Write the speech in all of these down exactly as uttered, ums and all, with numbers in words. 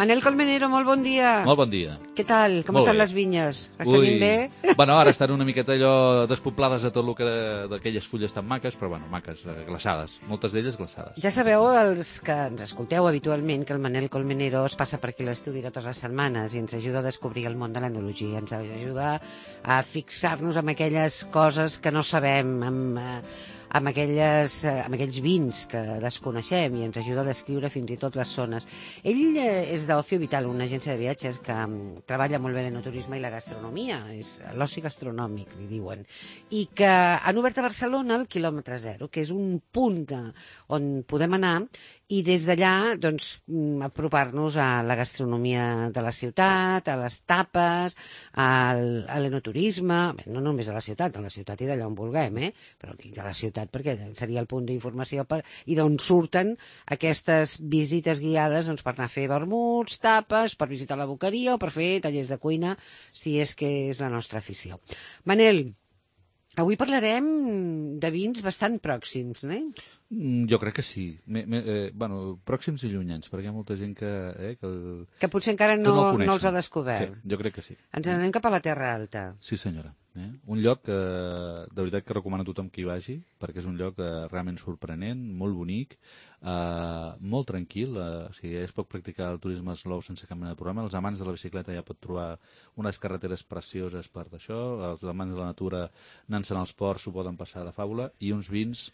Manel Colmenero, molt bon dia. Molt bon dia. Què tal? Com Molt estan bé. les vinyes? Les tenim bé? Bueno, ara estan una miqueta allò despoblades de tot el que d'aquelles fulles tan maques, però bueno, maques, eh, glaçades. Moltes d'elles glaçades. Ja sabeu, els que ens escolteu habitualment, que el Manel Colmenero es passa per aquí a l'estudi totes les setmanes i ens ajuda a descobrir el món de l'enologia, ens ajuda a fixar-nos en aquelles coses que no sabem, amb, eh, amb, aquelles, eh, amb aquells vins que desconeixem i ens ajuda a descriure fins i tot les zones. Ell eh, és d'Ocio Vital, una agència de viatges que mm, treballa molt bé l'enoturisme i la gastronomia, és l'oci gastronòmic, li diuen, i que han obert a Barcelona el quilòmetre zero, que és un punt de, on podem anar i des d'allà doncs, mm, apropar-nos a la gastronomia de la ciutat, a les tapes, al, a l'enoturisme, bé, no només a la ciutat, a la ciutat i d'allà on vulguem, eh? Però dic de la ciutat perquè seria el punt d'informació per, i d'on surten aquestes visites guiades doncs, per anar a fer vermuts, tapes, per visitar la boqueria o per fer tallers de cuina, si és que és la nostra afició. Manel, avui parlarem de vins bastant pròxims, eh? Mm, Jo crec que sí. Me, me, eh, bueno, pròxims i llunyans, perquè hi ha molta gent que... Eh, que, el, Que potser encara que no, no, el no els ha coneixen. descobert. Sí, jo crec que sí. Ens n'anem cap a la Terra Alta. Sí, senyora. Eh? Un lloc que, de veritat, que recomano a tothom que hi vagi, perquè és un lloc eh, realment sorprenent, molt bonic, eh, molt tranquil, eh, o sigui, es pot practicar el turisme slow sense cap mena de problema. Els amants de la bicicleta ja pot trobar unes carreteres precioses per d'això, els amants de la natura anant-se'n als ports s'ho poden passar de fàbula, i uns vins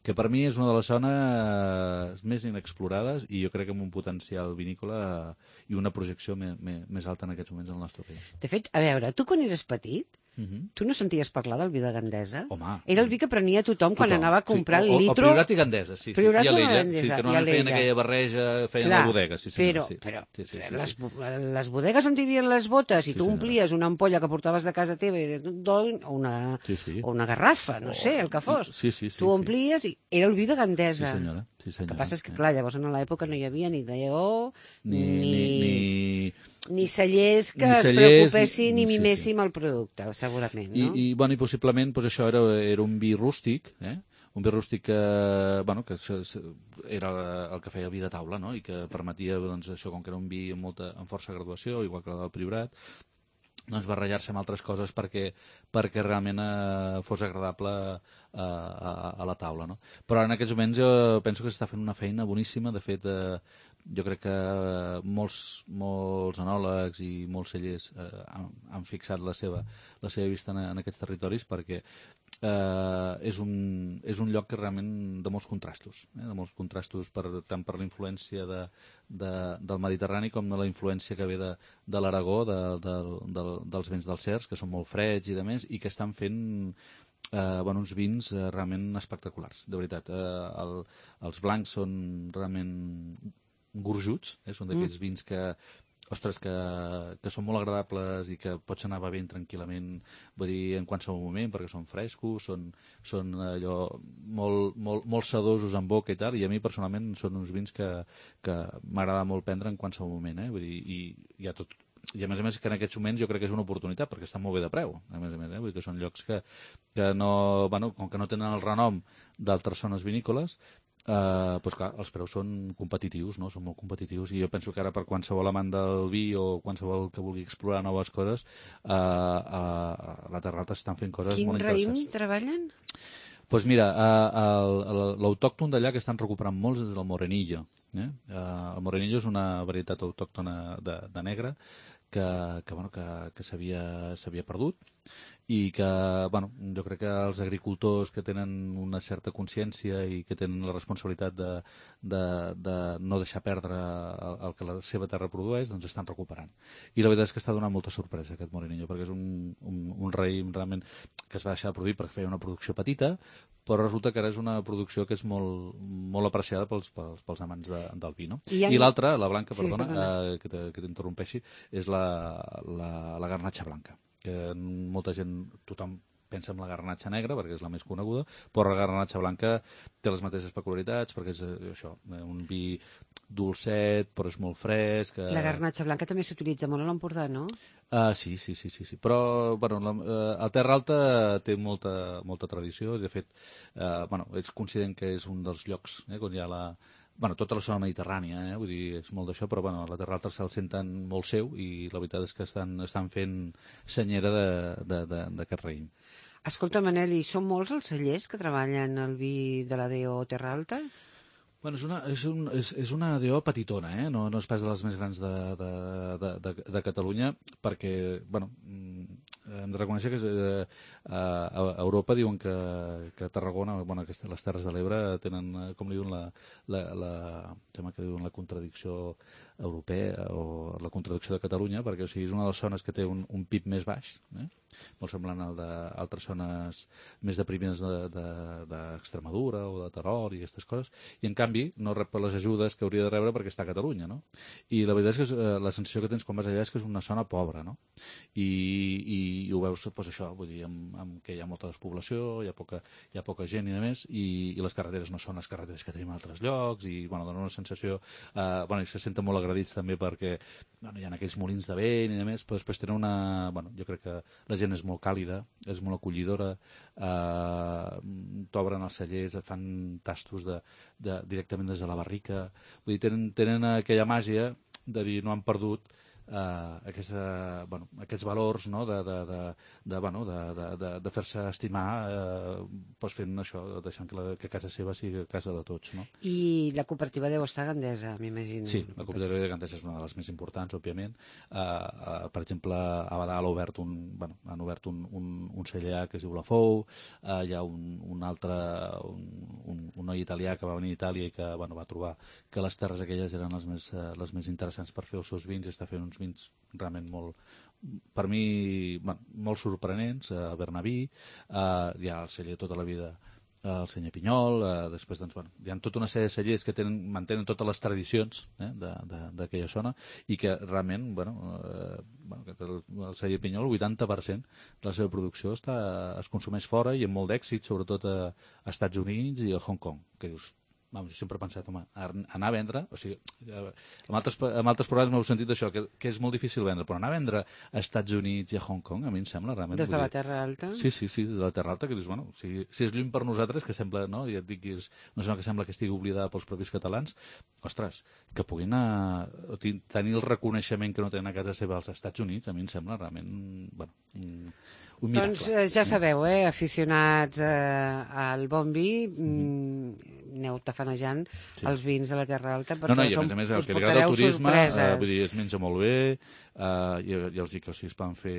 que per mi és una de les zones més inexplorades i jo crec que amb un potencial vinícola i una projecció me, me, més alta en aquests moments al nostre país. De fet, a veure, tu quan eres petit, Uh -huh. tu no senties parlar del vi de Gandesa? Home, Era el vi que prenia tothom quan tothom. anava a comprar Sí, el o, litro... O Priorat i Gandesa, sí. sí. Priorat I a o l'Ella, Gandesa, sí, que i a normalment feien l'Ella. aquella barreja, feien Clar, la bodega, sí, senyora, però, sí. però Sí, sí, sí, les, sí. les bodegues on hi havia les botes i Sí, tu senyora. omplies una ampolla que portaves de casa teva i de d'oli, o una, Sí, sí. o una garrafa, no sé, el que fos. Sí, sí, sí, tu sí. omplies i era el vi de Sí, Gandesa. senyora. Sí, El senyora. que passa és que, Eh. clar, llavors en l'època no hi havia ni D O, Ni, ni, ni, ni... ni cellers que ni es cellers, preocupessin ni- i sí, sí. miméssim el producte, segurament, I, no? i, bueno, i possiblement doncs, això era, era un vi rústic, eh? un vi rústic que, bueno, que se, se, era el que feia el vi de taula, no? I que permetia, doncs, això, com que era un vi amb, molta, amb força graduació, igual que el del Priorat, doncs barrejar-se amb altres coses perquè, perquè realment eh, fos agradable eh, a, a la taula. No? Però en aquests moments jo penso que s'està fent una feina boníssima. De fet, eh, jo crec que molts, molts enòlegs i molts cellers eh, han, han fixat la seva, la seva vista en, en aquests territoris perquè eh, és, un, és un lloc que realment de molts contrastos, eh? de molts contrastos per, tant per la influència de, de, del Mediterrani com de la influència que ve de, de l'Aragó, de, de, de, dels vents dels cercs, que són molt freds i de més, i que estan fent eh, bueno, uns vins eh, realment espectaculars, de veritat. Eh, el, els blancs són realment gorjuts, eh? Són d'aquests mm. vins que ostres, que, que són molt agradables i que pots anar bevent tranquil·lament, vull dir, en qualsevol moment, perquè són frescos, són, són allò molt, molt, molt sedosos en boca i tal, i a mi personalment són uns vins que, que m'agrada molt prendre en qualsevol moment, eh? Vull dir, i, i, a tot, i a més a més que en aquests moments jo crec que és una oportunitat perquè estan molt bé de preu, a més a més, eh? Vull dir que són llocs que, que no, bueno, com que no tenen el renom d'altres zones vinícoles, Uh, doncs clar, els preus són competitius, no? Són molt competitius i jo penso que ara per qualsevol amant del vi o qualsevol que vulgui explorar noves coses uh, uh, a la Terra Alta estan fent coses Quin molt interessants. raïm treballen? Doncs pues mira, uh, l'autòcton d'allà que estan recuperant molts és el Morenillo. Eh? Uh, el Morenillo és una varietat autòctona de, de negre que, que, bueno, que, que s'havia perdut i que, bueno, jo crec que els agricultors que tenen una certa consciència i que tenen la responsabilitat de, de, de no deixar perdre el, el que la seva terra produeix, doncs estan recuperant. I la veritat és que està donant molta sorpresa aquest Morenillo, perquè és un, un, un raïm realment que es va deixar de produir perquè feia una producció petita, però resulta que ara és una producció que és molt, molt apreciada pels, pels, pels amants de, del vi, no? I, en... I l'altra, la blanca, sí, perdona, perdona. Eh, que t'interrompeixi, és la, la, la garnatxa blanca, que molta gent, tothom pensa en la garnatxa negra perquè és la més coneguda, però la garnatxa blanca té les mateixes peculiaritats perquè és això, un vi dolcet però és molt fresc. Que... La garnatxa blanca també s'utilitza molt a l'Empordà, no? Uh, sí, sí, sí, sí, sí. Però bueno, la, uh, el Terra Alta té molta, molta tradició. De fet, uh, bueno, ells consideren que és un dels llocs eh, on hi ha la, bueno, tota la zona mediterrània, eh? Vull dir, és molt d'això, però bueno, la Terra Alta se'l senten molt seu i la veritat és que estan, estan fent senyera d'aquest raïm. Escolta, Manel, i són molts els cellers que treballen el vi de la D O Terra Alta? Bueno, és una, és, un, és, és una D O petitona, eh? no, no és pas de les més grans de, de, de, de, de Catalunya, perquè, bueno, hem de reconèixer que eh, a Europa diuen que, que Tarragona, bueno, que les Terres de l'Ebre tenen, com li diuen, la, la, la, sembla que diuen la contradicció europea o la contradicció de Catalunya, perquè o sigui, és una de les zones que té un, un P I B més baix, eh? molt semblant al d'altres zones més deprimides d'Extremadura o de Terol i aquestes coses, i en canvi no rep les ajudes que hauria de rebre perquè està a Catalunya, no? I la veritat és que és, eh, la sensació que tens quan vas allà és que és una zona pobra, no? I, i, i ho veus, doncs això, vull dir, amb, amb que hi ha molta despoblació, hi ha poca, hi ha poca gent i de més, i, i les carreteres no són les carreteres que tenim a altres llocs, i bueno, dona una sensació, eh, bueno, se senten molt agredits també perquè bueno, hi ha aquells molins de vent i de més, però després tenen una, bueno, jo crec que la gent és molt càlida, és molt acollidora, eh, t'obren els cellers, et fan tastos de, de, directament des de la barrica, vull dir, tenen, tenen aquella màgia de dir no han perdut eh, aquesta, bueno, aquests valors, no? de, de, de, de, bueno, de, de, de, de fer-se estimar eh, pues fent això, deixant que, la, que casa seva sigui casa de tots. No? I la cooperativa deu estar a Gandesa, m'imagino. Sí, la cooperativa de Gandesa és una de les més importants, òbviament. Eh, eh, per exemple, a Badal ha obert un, bueno, han obert un, un, un celler que es diu La Fou, eh, hi ha un, un altre, un, un, un noi italià que va venir a Itàlia i que bueno, va trobar que les terres aquelles eren les més, eh, les més interessants per fer els seus vins, i està fent uns vins realment molt, per mi, bueno, molt sorprenents, a Bernaví, eh, hi ha el celler tota la vida, el senyor Pinyol, eh, després doncs, bueno, hi ha tota una sèrie de cellers que tenen, mantenen totes les tradicions eh, d'aquella zona i que realment, bueno, eh, bueno el, el celler Pinyol, el vuitanta per cent de la seva producció està, es consumeix fora i amb molt d'èxit, sobretot a, a Estats Units i a Hong Kong, que dius, Vamos, jo sempre he pensat, home, anar a vendre, o sigui, en altres, en altres programes m'heu sentit això, que, que és molt difícil vendre, però anar a vendre a Estats Units i a Hong Kong, a mi em sembla realment... Des de la Terra Alta? Sí, sí, sí, des de la Terra Alta, que dius, bueno, si, si és lluny per nosaltres, que sembla, no, ja et dic, és una zona que sembla que estigui oblidada pels propis catalans, ostres, que puguin a, a tenir el reconeixement que no tenen a casa seva als Estats Units, a mi em sembla realment, bueno, un, un miracle. Doncs eh, ja sabeu, eh, aficionats eh, al bon vi, mm, aneu tafanejant sí. els vins de la Terra Alta, perquè no, no, i a som, més a més, el us que li agrada el turisme, eh, vull dir, es menja molt bé, eh, ja, ja us dic que o sigui, es poden fer,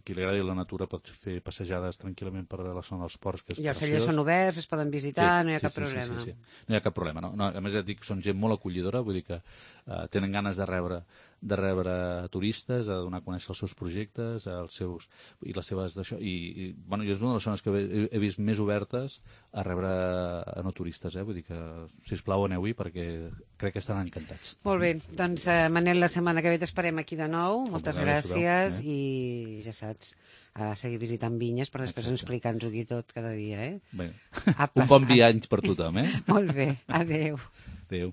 qui li agradi la natura pot fer passejades tranquil·lament per la zona dels ports, que és i els cellers són oberts, es poden visitar, sí, no hi ha sí, cap sí, problema. Sí, sí, sí. No hi ha cap problema, no? No, a més ja dic, són gent molt acollidora, vull dir que eh, tenen ganes de rebre de rebre turistes, de donar a conèixer els seus projectes, els seus, i les seves d'això, i, i bueno, jo és una de les zones que he, he vist més obertes a rebre a no turistes, eh? Vull dir que, sisplau, aneu-hi perquè crec que estaran encantats. Molt bé, doncs eh, Manel, la setmana que ve t'esperem aquí de nou, moltes Com gràcies, eh? I ja saps, a seguir visitant vinyes per després explicar-nos-ho aquí tot cada dia, eh? Bé. Un bon viatge per tothom, eh? Molt bé, adeu. Adeu.